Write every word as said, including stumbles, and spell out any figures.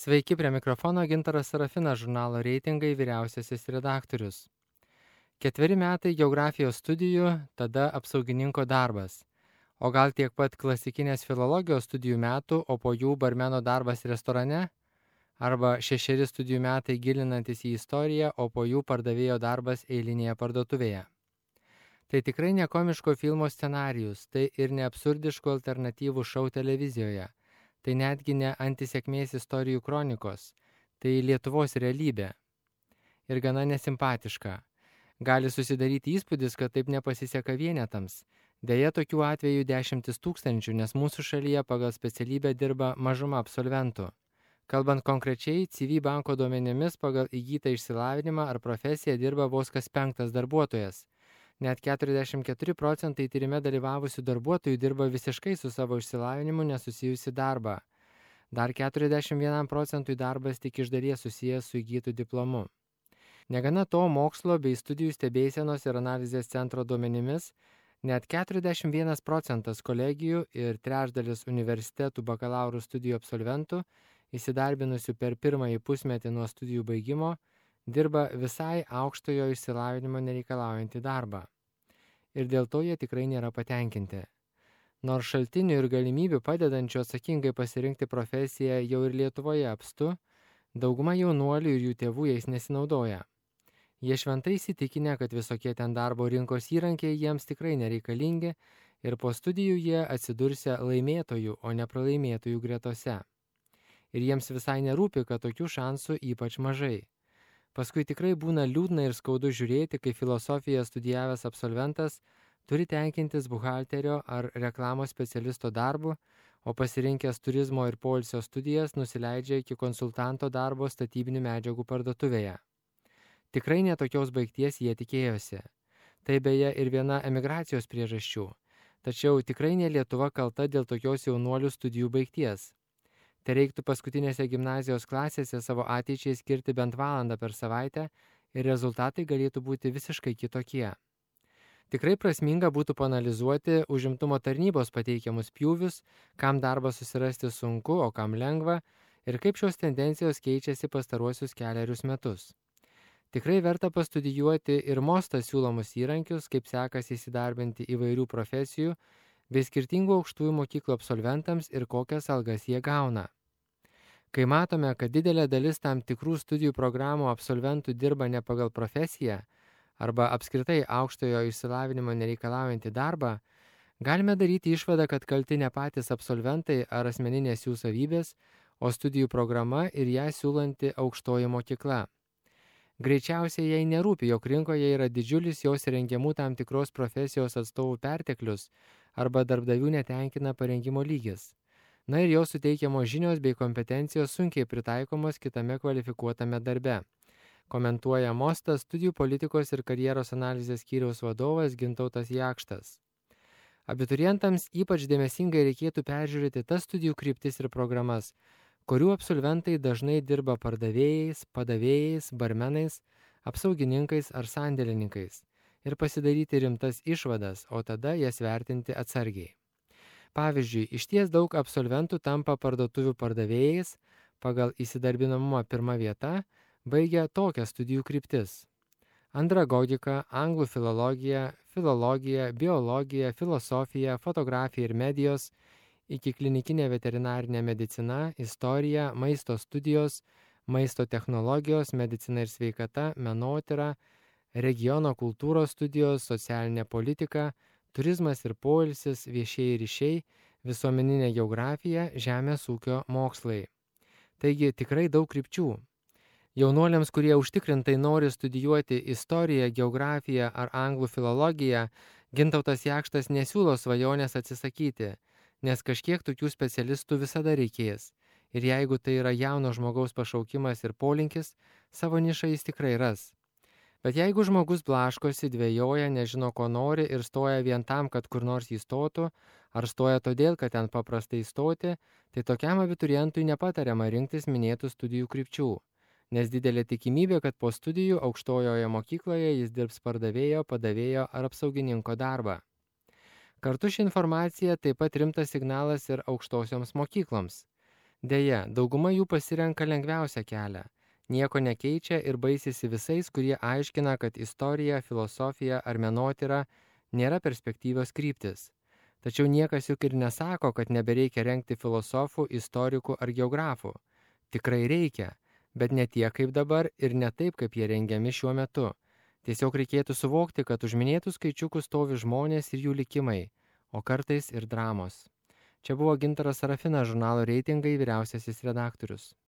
Sveiki, prie mikrofono Gintaras Sarafinas, žurnalo Reitingai vyriausiasis redaktorius. Ketveri metai geografijos studijų, tada apsaugininko darbas. O gal tiek pat klasikinės filologijos studijų metų, o po jų barmeno darbas restorane? Arba šešeri studijų metai gilinantis į istoriją, o po jų pardavėjo darbas eilinėje parduotuvėje. Tai tikrai ne komiško filmo scenarijus, tai ir ne absurdiškų alternatyvų šou televizijoje. Tai netgi ne antisėkmės istorijų kronikos, tai Lietuvos realybė. Ir gana nesimpatiška. Gali susidaryti įspūdis, kad taip nepasiseka vienetams. Deja, tokių atvejų dešimtis tūkstančių, nes mūsų šalyje pagal specialybę dirba mažuma absolventų. Kalbant konkrečiai, C V banko duomenimis pagal įgytą išsilavinimą ar profesiją dirba vos kas penktas darbuotojas. Net keturiasdešimt keturi procentai tyrime dalyvavusių darbuotojų dirba visiškai su savo išsilavinimu nesusijusi darbą. Dar keturiasdešimt vienam procentui darbas tik iš dalies susijęs su įgytų diplomu. Negana to, mokslo bei studijų stebėsenos ir analizės centro duomenimis, net keturiasdešimt vienas procentas kolegijų ir trečdalis universitetų bakalauro studijų absolventų, įsidarbinusių per pirmąjį pusmetį nuo studijų baigimo, dirba visai aukštojo išsilavinimo nereikalaujantį darbą. Ir dėl to jie tikrai nėra patenkinti. Nors šaltinių ir galimybių padedančių atsakingai pasirinkti profesiją jau ir Lietuvoje apstu, dauguma jaunuolių ir jų tėvų jais nesinaudoja. Jie šventai įsitikinę, kad visokie ten darbo rinkos įrankiai jiems tikrai nereikalingi ir po studijų jie atsidursia laimėtojų, o ne pralaimėtojų gretose. Ir jiems visai nerūpi, kad tokių šansų ypač mažai. Paskui tikrai būna liūdna ir skaudu žiūrėti, kai filosofiją studijavęs absolventas turi tenkintis buhalterio ar reklamos specialisto darbu, o pasirinkęs turizmo ir poilsio studijas nusileidžia iki konsultanto darbo statybinių medžiagų parduotuvėje. Tikrai netokios baigties jie tikėjosi. Tai beje ir viena emigracijos priežasčių. Tačiau tikrai ne Lietuva kalta dėl tokios jaunuolių studijų baigties. Tai reiktų paskutinėse gimnazijos klasėse savo ateičiai skirti bent valandą per savaitę ir rezultatai galėtų būti visiškai kitokie. Tikrai prasminga būtų paanalizuoti užimtumo tarnybos pateikiamus pjūvius, kam darbą susirasti sunku, o kam lengva, ir kaip šios tendencijos keičiasi pastaruosius kelerius metus. Tikrai verta pastudijuoti ir Mostą siūlomus įrankius, kaip sekasi įsidarbinti įvairių profesijų, bei skirtingų aukštųjų mokyklų absolventams ir kokias algas jie gauna. Kai matome, kad didelė dalis tam tikrų studijų programų absolventų dirba ne pagal profesiją arba apskritai aukštojo išsilavinimo nereikalaujantį darbą, galime daryti išvadą, kad kalti ne patys absolventai ar asmeninės jų savybės, o studijų programa ir ją siūlanti aukštoji mokykla. Greičiausiai jai nerūpi, jog rinkoje yra didžiulis jos rengiamų tam tikros profesijos atstovų perteklius arba darbdavių netenkina parengimo lygis. Na ir jos suteikiamos žinios bei kompetencijos sunkiai pritaikomos kitame kvalifikuotame darbe. Komentuoja Mostas studijų politikos ir karjeros analizės skyriaus vadovas Gintautas Jakštas. Abiturientams ypač dėmesingai reikėtų peržiūrėti tas studijų kryptis ir programas, kurių absolventai dažnai dirba pardavėjais, padavėjais, barmenais, apsaugininkais ar sandėlininkais ir pasidaryti rimtas išvadas, o tada jas vertinti atsargiai. Pavyzdžiui, išties daug absolventų tampa parduotuvių pardavėjais, pagal įsidarbinamumą pirma vieta, baigia tokias studijų kryptis: andragogika, anglų filologija, filologija, biologija, filosofija, fotografija ir medijos, iki klinikinė veterinarinė medicina, istorija, maisto studijos, maisto technologijos, medicina ir sveikata, menotyra, regiono kultūros studijos, socialinė politika, turizmas ir poilsis, viešieji ryšiai, visuomeninė geografija, žemės ūkio mokslai. Taigi tikrai daug krypčių. Jaunuoliams, kurie užtikrintai nori studijuoti istoriją, geografiją ar anglų filologiją, Gintautas Jakštas nesiūlo svajonės atsisakyti, nes kažkiek tokių specialistų visada reikės. Ir jeigu tai yra jauno žmogaus pašaukimas ir polinkis, savo nišą jis tikrai ras. Bet jeigu žmogus blaškosi, dvejoja, nežino, ko nori ir stoja vien tam, kad kur nors įstotų, ar stoja todėl, kad ten paprastai įstoti, tai tokiam abiturientui nepatariama rinktis minėtų studijų krypčių, nes didelė tikimybė, kad po studijų aukštojoje mokykloje jis dirbs pardavėjo, padavėjo ar apsaugininko darbą. Kartu ši informacija taip pat rimtas signalas ir aukštosioms mokykloms, Deja, dauguma jų pasirenka lengviausią kelią. Nieko nekeičia ir baisisi visais, kurie aiškina, kad istorija, filosofija ar menotyra nėra perspektyvios kryptis. Tačiau niekas juk ir nesako, kad nebereikia rengti filosofų, istorikų ar geografų. Tikrai reikia, bet ne tiek kaip dabar ir ne taip, kaip jie rengiami šiuo metu. Tiesiog reikėtų suvokti, kad už minėtų skaičiukų stovi žmonės ir jų likimai, o kartais ir dramos. Čia buvo Gintaras Sarafinas, žurnalo Reitingai vyriausiasis redaktorius.